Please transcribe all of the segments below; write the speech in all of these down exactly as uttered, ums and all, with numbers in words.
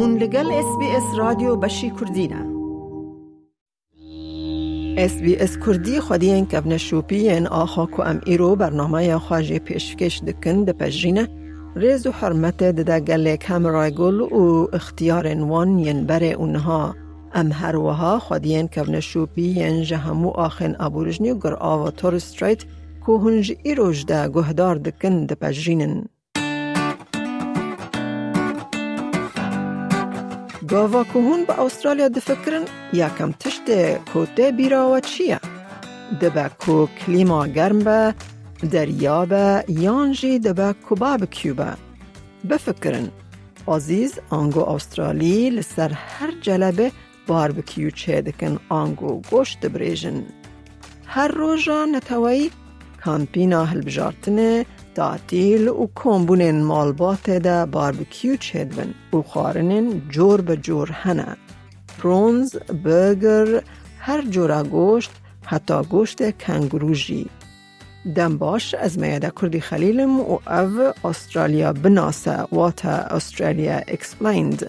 Hûn li gel S B S Radyo Beşî Kurdî ne. S B S Kurdî xwediyên kevneşopî yên axa ku em îro bernameya xwe jê pêşkêş dikin, dipejirîne. Rêz û hurmetê dide gelê Kamerayê Gul û ixtiyarên wan yên berê û niha. Em her wiha xwediyên kevneşopî yên ji hemû axên aborîjnî û girava Torres Strait ku hûn ji îroj de guhdar dikin, dipejirînin. Gava ku hûn bi Awustralya difikirin, yekem tiştê ku tê bîra we çi ye? Dibe ku klîma germ be, derya be, yan jî dibe ku barbecue be? Bifikirin, Azîz ango Awustralî li ser her celebê barbecue çêdikin ango goşt dibrêjin. Her roja neteweyî, kampîna hilbijartinê, tatîl û kombûnên malbatê de barbecue çêdibin û xwarinên cor bi cor hene. Prawns, burger, her cora goşt, heta goştê kengurû jî. Dem baş, ez Meyeda Kurdî Xelîl im û ev Australia Binase, wate Australia Explained.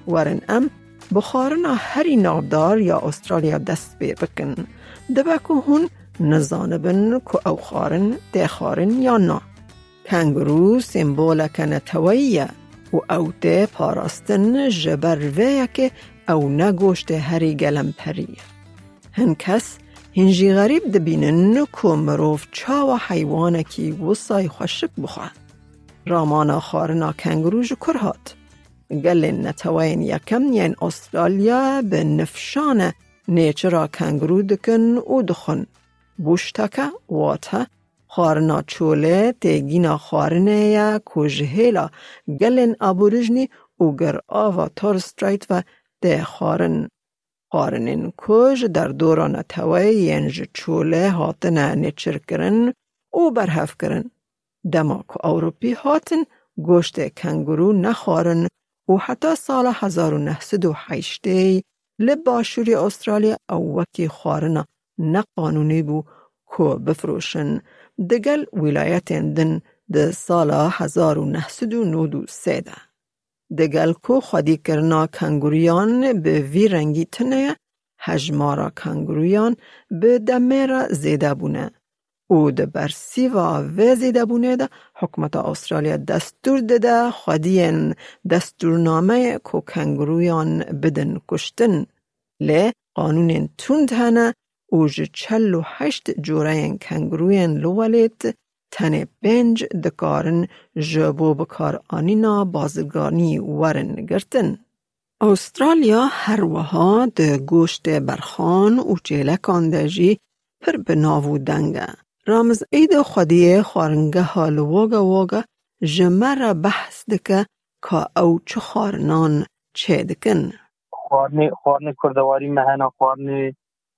Werin em bi xwarina herî navdar ya Australia dest pê bikin. Dibe ku hûn nizanibin ku ew xwarin tê xwarin yan na. Kengurû semboleke neteweyî ye û ew tê parastin, ji ber vê yekê ew ne goştê herî gelemperî ye. Hin kes hîn jî xerîb dibînin ku mirov çawa heywanekî wisay xweşik bixwe. Ramana xwarina kengurû ji kur hat? Gelên neteweyên yekem yên Australya bi nifşane nêçira kengurû dikin û dixwin. Bûşteke, wate xwarina çolê, têgîna xwarinê ye ku ji hêla gelên aborîjnî û girava Torres Strait ve tê xwarin. Xwarinên ku ji derdora neteweyê yên ji çolê hatine nêçirkirin û berhevkirin. Dema ku Ewropî hatin goştê kengurû nexwarin û heta sala hezar û neh sed û heştê li başûrê Australya ew wekî xwarina neqanûnî bû ku bifiroşin, digel wîlayetên din di sala hezar û neh sed û nod û sê de. Digel ku xwedîkirina kengurûyan bi vî rengî tune ye, hejmara kengurûyan bi demê re zêde bûne û di bersîva vê zêdebûnê de hikûmeta Australya destûr dide xwediyên destûrnameyê ku kengurûyan bidin kuştin. Lê qanûnên tund hene û ji çel û heşt coreyên kengurûyên li welêt tenê pênc dikarin ji bo bikaranîna bazirganî werin girtin. Australya her wiha di goştê berxan û çêlekan de jî pir bi nav û deng e. Ramiz Îdo xwediyê xwaringeha li Wagga Wagga ji me re behs dike ka ew çi xwarinan çêdikin. Xwarinê, xwarinê kurdewarî me hene, xwarinê,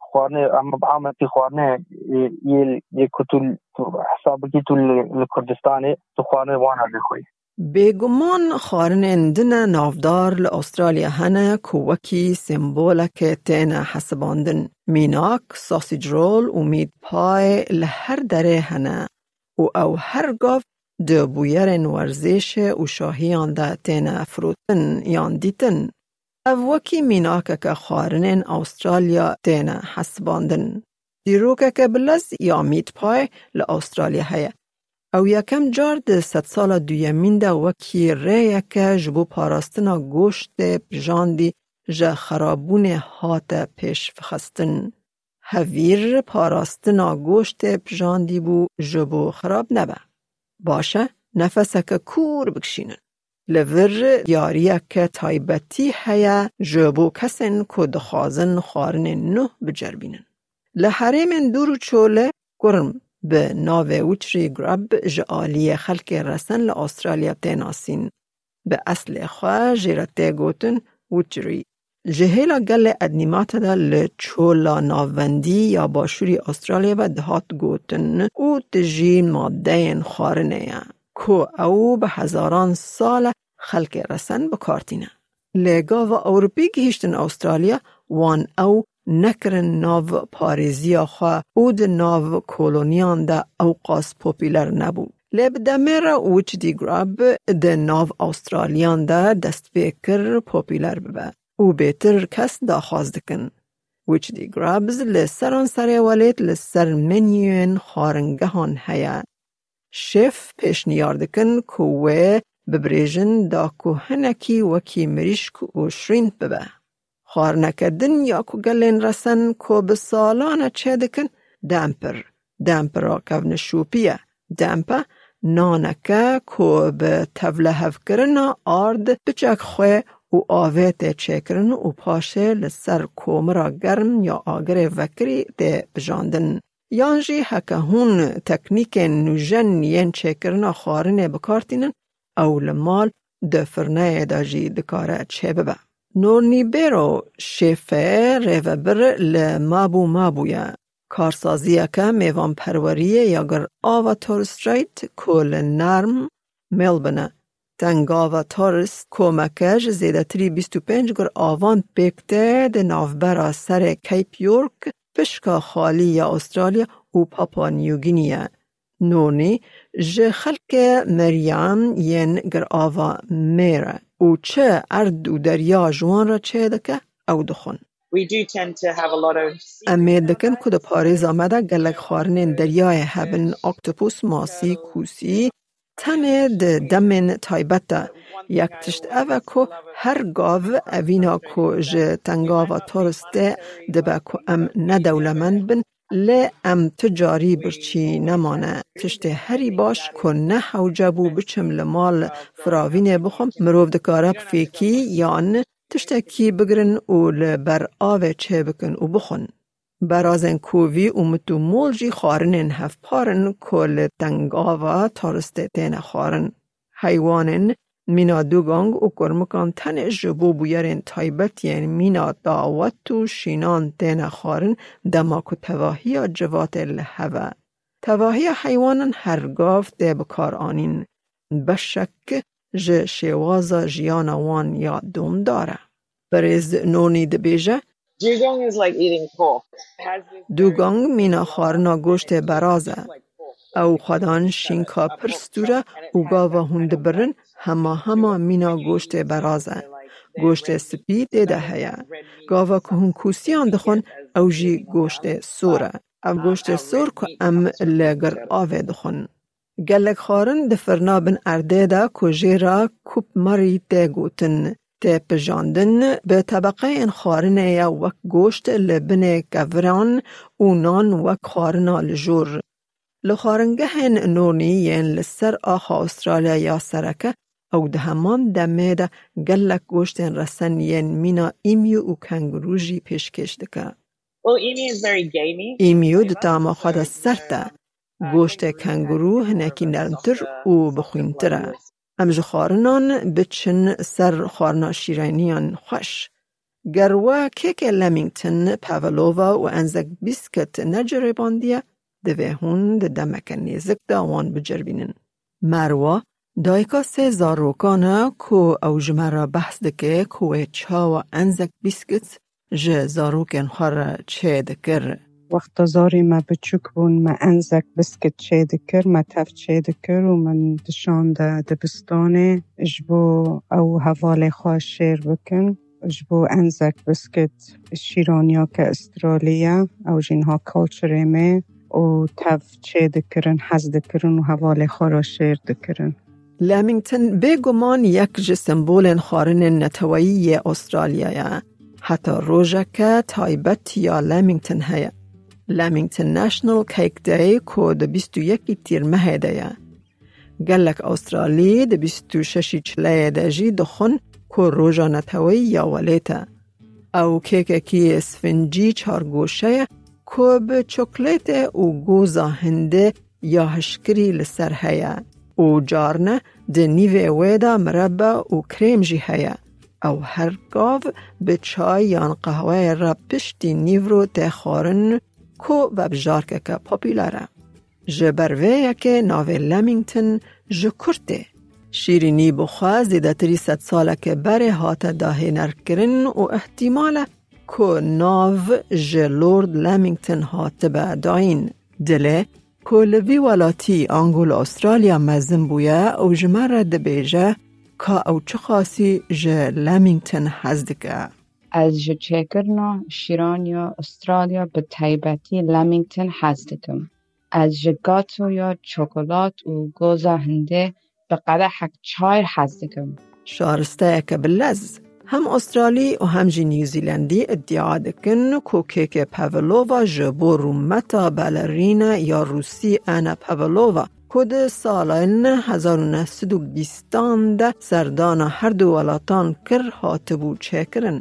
xwarinê em bi ametî xwarinê, e, yê, yê ku tu, tu hesab bikî tu li, li Kurdistanê, tu xwarinê wana lê xwe yî. Bêguman xwarinên din e navdar li Australya hene ku wekî semboleke têne hesibandin. Mînak, sausage roll û meat pie li her derê hene û ew her gav di bûyerên werzêşê û şahiyan de têne firotin yan dîtin. Ev wekî mînakeke xwarinên Australya têne hesibandin. Dîrokeke bilez ya meat pie li Australya heye. Ew yekem car di sedsala duyemîn de wekî rêyeke ji bo parastina goştê pijandî ji xerabûnê hate pêşvixistin. Hevîr parastina goştê pijandî bû ji bo xerab nebe. Baş e, nefeseke kûr bikişînin. Li vir diyariyeke taybetî heye ji bo kesên ku dixwazin xwarinên nû biceribînin. Li herêmên dûr û çolê kurm bi navê Witchery Grub ji aliyê xelkê resen li Australya tê nasîn. Bi eslê xwe jê re tê gotin witchery. Ji hêla gelê ednîmate de li çola navendî ya başûrî Australya ve dihat gotin û tijî madeyên xwarinê ye, ku ew bi hezaran sal e xelkê resen bi kar tîne. Lê gava Ewropî gihîştin Australya, wan ew nekirin nav parêziya xwe û di nav koloniyan de ewqas popûler nebû. Lê bi demê re Witchy Grub di nav Awustraliyan de dest pê kir popûler bibe û bêtir kes daxwaz dikin. Witchy Grubs li seranserê welêt li ser menûyên xwaringehan heye. Şêf pêşniyar dikin ku wê bibirêjin da ku hinekî wekî mirîşk û şirîn bibe. Xwarineke din ya ku gelên resen ku bi salan e çêdikin, demper, dempera kevnişopî ye. Dempe naneke ku bi tevlehevkirina ard piçek xwe û avê tê çêkirin û paşê li ser komira germ ya agirê vekirî tê pijandin. Yan jî heke hûn teknîkên nûjen yên çêkirina xwarinê bi kar tînin, ew li mal di firneyê de jî dikare çêbibe. Nornî Bêro şêfê rêvebir li Mabû Mabû ye. Karsaziyeke mêvanperweriyê ya Girava Torres Strait ku li nerm Melbourne e. Tengava Torres komeke ji zêdetirî bîst û pênc giravan pêk tê di navbera serê Cape York, pişka xalî ya Australya û Papua New Guinea ye. Nornî ji xelkê meriyan yên Girava Mêr e û çi erd û derya ji wan re çêdike, ew dixwin. We do tend to have a lot of Em mêr dikin ku di parêza me de gelek xwarinên deryayê hebin, oktopus, masî, kûsî, tenê di demên taybet de. Yek tişt ev e ku her gav evîna ku ji tengava Torres tê dibe ku em ne dewlemend bin, lê em tu carî birçî nemane. Tiştê herî baş ku ne hewce bû biçim li mal firavînê bixwim, mirov dikare bi fêkî yan tiştekî bigirin û li ber avê çêbikin û bixwin. Berazên kovî û mit û mol jî xwarinên hevpar in ku li tengava Torres tê têne xwarin. Heywanên mîna dûgang û kurmikan tenê ji bo bûyerên taybet yên mîna dawet û şînan têne xwarin, dema ku tevahiya civatê li hev e. Tevahiya heywanan her gav tê bikaranîn. Beşek ji şêwaza jiyana wan ya domdar e. Berêz Nonî dibêje, Dugong is like eating pork. Dûgang mîna xwarina goştê beraz e. Ew xwedan şînka pir stûr e û gava hûn dibirin hema hema mîna goştê beraz e. Goştê spî tê de heye. Gava ku hûn kûsiyan dixwin, ew jî goştê sor e. Ev goştê sor ku em li gir avê dixwin. Gelek xwarin di firna bin erdê de ku jê re Kup Murray tê gotin, tê pijandin, bi tebeqeyên xwarinê ye wek goşt li binê keviran û nan wek xwarina li jor. Li xwaringehên nonî yên li ser axa Australya ya sereke, ew di heman demê de gelek goştên resen yên mîna emu û kenguru jî pêşkêş dike. Well, emu is very gamey. Emu di tama xwe de sert e. Goştê kenguru hinekî nermtir û bixwîntir e. Em ji xwarinan biçin ser xwarina şîrêniyan xweş. Ger we kêkê Leamington, pavlova û enzek bîskit neceribandiye, divê hûn di demeke nêzik de wan biceribînin. Merwa, dayika sê zarokan e ku ew ji me re behs dike ku wê çawa enzek bîskit ji zarokên xwe re çêdikir. Wexta zarê me biçûk bûn, me enzek biskit çêdikir, me tev çêdikir û min dişande dibistanê ji bo ew hevalê xwe şêr bikin. Ji bo enzek biskit şîraniyake Australî ye, ew jî niha culturê me û tev çêdikirin, hez dikirin û hevalê xwe re şêr dikirin. Leamington bêguman yek ji sembolên xwarinên neteweyî yê Australya ye. Heta rojeke taybet ya Leamington heye. Leamington National Cake Day ku di bîst û yekî Tîrmehê de ye. Gelek Australî di bîst û şeşî Çileyê de jî dixwin ku roja neteweyî ya welêt e. Ew kêkekî sfincî çargoşe ye ku bi çokolêtê û goza hindê ya hişkirî li ser heye û carne di nîvê wê de mirebe û krêm jî heye. Ew her gav bi çay yan qehweyê re piştî nîvro tê xwarin ku vebijarkeke popûler e. Ji ber vê yekê navê Leamington ji kur tê. Şîrînî bi xwe zêdetirî sed saleke berê hate dahênerkirin û ihtimal e ku nav ji Lord Leamington hatibe dayîn. Dilê ku li vî welatî ango li Australya mezin bûye û ji me re dibêje ka ew çiqasî ji Leamington hez dike. Ez ji çêkirina şîraniya Australya, bi taybetî Leamington, hez dikim. Ez ji gatoya çokolat û goza hindê bi qedehek çay hez dikim. Şaristeyeke bi lez. Hem Australî û hem jî New Zealandî îdia dikin ku kêkê pavlova ji bo rûmeta balerîne ya rûsî Anna Pavlova, ku di salên hezar û neh sed û bîstan de serdana her du welatan kir, hatibû çêkirin.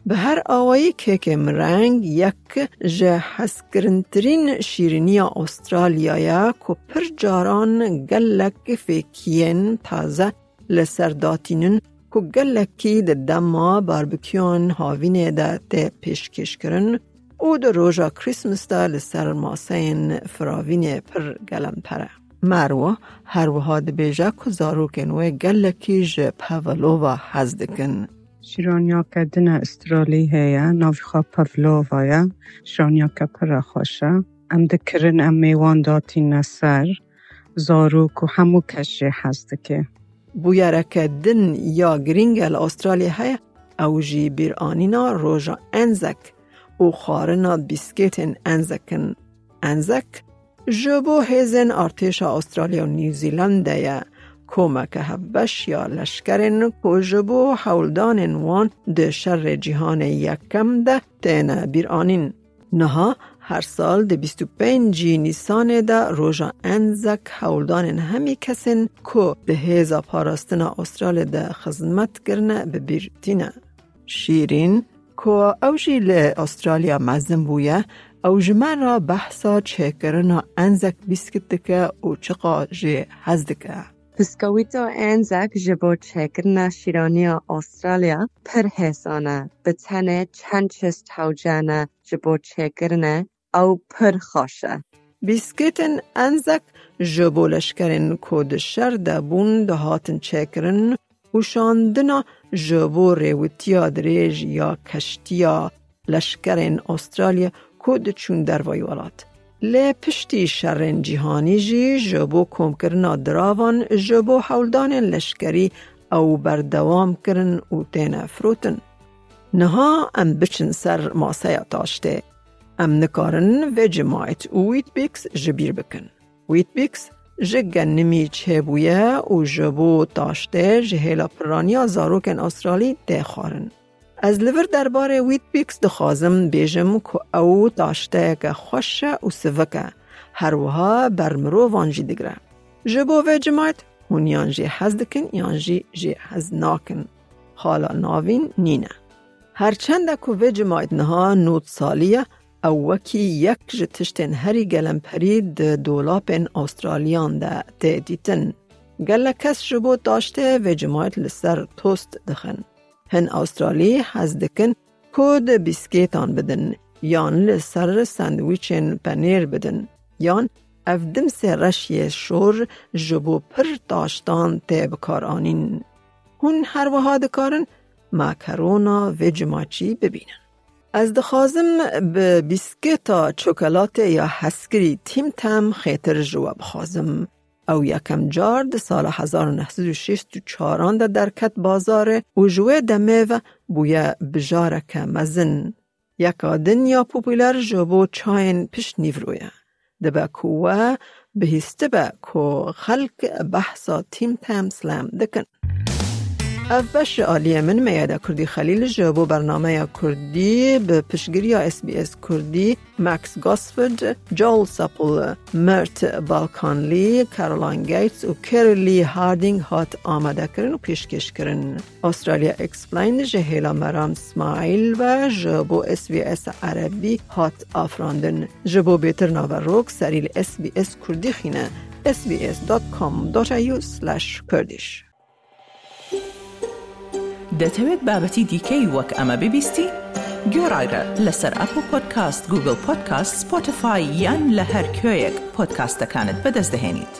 Bi her awayî kêkê mireng yek ji hezkirintirîn şîriniya Australya ye ku pir caran gelek fêkiyên taze li ser datînin ku gelekî di dema barbekûyan havînê de tê pêşkêşkirin û di roja Christmas de li ser maseyên firavînê pir gelemper e. Merwa her wiha dibêje ku zarokên wê gelekî ji pavlova hez dikin. Şîraniyeke din a Australî heye, navê xwe pavlova ye. Şîraniyeke pir xweş e. Em dikirin, em mêwan datîne ser. Zarok û hemû kes jê hez dike. Bûyereke din ya girîng e li Australya heye, ew jî bîranîna roja Anzac û xwarina bîskêtên Anzac in. Anzac ji bo hêzên artêşa Australya û New Zealandê ye, komeke hevbeş ya leşkerên ku ji bo hewldanên wan di şerê cîhanê yekem de têne bîranîn. Niha her sal di bîst û pêncî Nîsanê de roja Anzac hewldanên hemî kesên ku di hêza parastina Australya de xizmet kirine bi bîr tîne. Şîrîn, ku ew jî li Australya mezin bûye, ew ji me re behsa çêkirina Anzac bîskit dike û çiqa jê hez dike. Biskewîta Anzac ji bo çêkirina şîraniya Australya pir hêsan e. Bi tenê çend çist hewce ne ji bo çêkirinê, ew pir xweş e. Bîskêtên Anzac ji bo leşkerên ku di şer de bûn dihatin çêkirin û şandina ji bo rêwitiya dirêj ya keştiya leşkerên Australya ku diçûn dervayî welat. Lê piştî şerên cîhanî jî ji bo komkirina diravan ji bo hewldanên leşkerî ew berdewam kirin û têne firotin. Niha em biçin ser maseya taştê. Em nikarin Vegemite û Weet-Bix ji bîr bikin. Weet-Bix ji genimî çêbûye û ji bo taştê ji hêla piraniya zarokên Australî tê xwarin. Ez li vir derbarê Weet-Bix dixwazim bêjim ku ew taşteyeke xweş e û sivik e. Her wiha ber mirovan jî digire. Ji bo Vegemite hûn yan jê hez dikin yan jî jê hez nakin. Xala navîn nîne. Her çende ku Vegemite niha nod salî ye, ew wekî yek ji tiştên herî gelemperî di dolapên Australiyan de tê dîtin. Gelek kes ji bo taştê Vegemite li ser tost dixin. Hin Australî hez dikin ku di bîskêtan bidin, yan li ser sandwîçên penêr bidin, yan ev dimsê reş yê şor ji bo pir taştan tê bikaranîn. Hûn her wiha dikarin makarona Vegemite jî bibînin. Ez dixwazim bi bîskêta çokolatê ya hezkirî Tim Tam xêtir ji we bixwazim. Ew yekem car di sala hezar û neh sed û şêst û çaran de derket bazarê û ji wê demê ve bûye bijareke mezin. Yeka din ya popûler ji bo çayên pişt nîvro ye. Dibe ku we bihîstibe ku xelk behsa Tim Tam Slam dikin. Ev beş ji aliyê min Meyada Kurdî Xelîl ji bo bernameya Kurdî bi piştgiriya S B S Kurdî, Max Gosford, Joel Supple, Mert Balkanli, Caroline Gates û Kerry Lee Harding hat amadekirin û pêşkêşkirin. Australia Explained ji hêla Meram Smail ve ji bo S B S Erebî hat afirandin. Ji bo bêtir naverok serî li S B S Kurdî xîne, S B S dot com dot A U slash Kurdish. دەتەوێت بابەتی دیکەی وەک ئەمە ببیستی؟ گوێڕایرە لەسەر ئەپڵ پۆدکاست، گوگڵ پۆدکاست، سپۆتیفای یان لە هەر کوێیەک پۆدکاستەکانت بەدەست دەهێنیت.